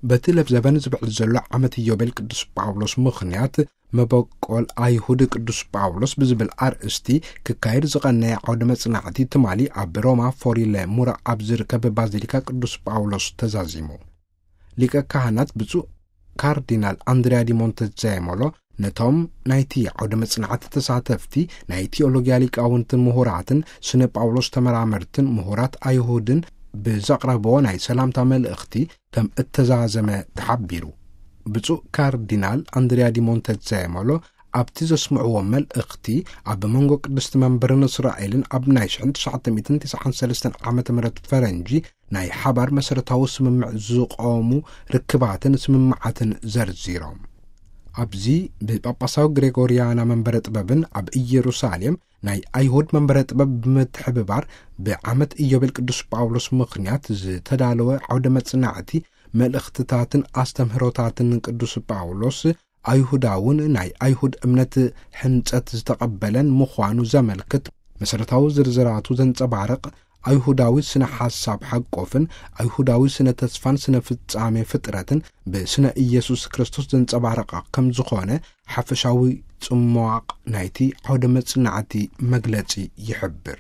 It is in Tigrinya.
በቲ ለብዘበን ዝብዕል ዘሎ ዓመት ኢዮቤል ቅዱስ ጳውሎስ ምኽንያት፣ መበቆል ኣይሁድ ቅዱስ ጳውሎስ ብዝብል ኣርእስቲ ክካየድ ዝቐነየ ዓውደ መጽናዕቲ ትማሊ ኣብ ሮማ ፎሪለ ሙራ ኣብ ዝርከብ ባዚሊካ ቅዱስ ጳውሎስ ተዛዚሙ። ሊቀ ካህናት ብፁዕ ካርዲናል ኣንድሪያ ዲ ሞንተዛየሞሎ ነቶም ናይቲ ዓውደ መጽናዕቲ ተሳተፍቲ፣ ናይ ቲኦሎጊያ ሊቃውንትን ምሁራትን ስነ ጳውሎስ ተመራመርትን ምሁራት ኣይሁድን ብዘቕረብዎ ናይ ሰላምታ መልእኽቲ ከም እተዛዘመ ተሓቢሩ። ብፁዕ ካርዲናል ኣንድሪያ ዲ ሞንተዛየሞሎ ኣብቲ ዘስምዕዎ መልእኽቲ፣ ኣብ መንጎ ቅድስቲ መንበርን እስራኤልን ኣብ ናይ ሽሕን ትሽዓተ ሚእትን ትስዓን ሰለስተን ዓመተ ምህረት ፈረንጂ ናይ ሓባር መሰረታዊ ስምምዕ ዝቖሙ ርክባትን ስምምዓትን ዘርዚሮም። ኣብዚ ብጳጳሳዊ ግሬጎርያና መንበረ ጥበብን ኣብ ኢየሩሳሌም ናይ ኣይሁድ መንበረ ጥበብ ብምትሕብባር፣ ብዓመት ኢዮቤል ቅዱስ ጳውሎስ ምኽንያት ዝተዳለወ ዓውደ መጽናዕቲ መልእኽትታትን ኣስተምህሮታትን ቅዱስ ጳውሎስ ኣይሁዳውን ናይ ኣይሁድ እምነት ሕንጸት ዝተቐበለን ምዃኑ ዘመልክት መሰረታዊ ዝርዝራቱ ዘንጸባርቕ ኣይሁዳዊ ስነ ሓሳብ ሓቆፍን ኣይሁዳዊ ስነ ተስፋን ስነ ፍጻሜ ፍጥረትን ብስነ ኢየሱስ ክርስቶስ ዘንጸባረቐ ከም ዝኾነ ሓፈሻዊ ጽሟቕ ናይቲ ዓውደ መጽናዕቲ መግለጺ ይሕብር።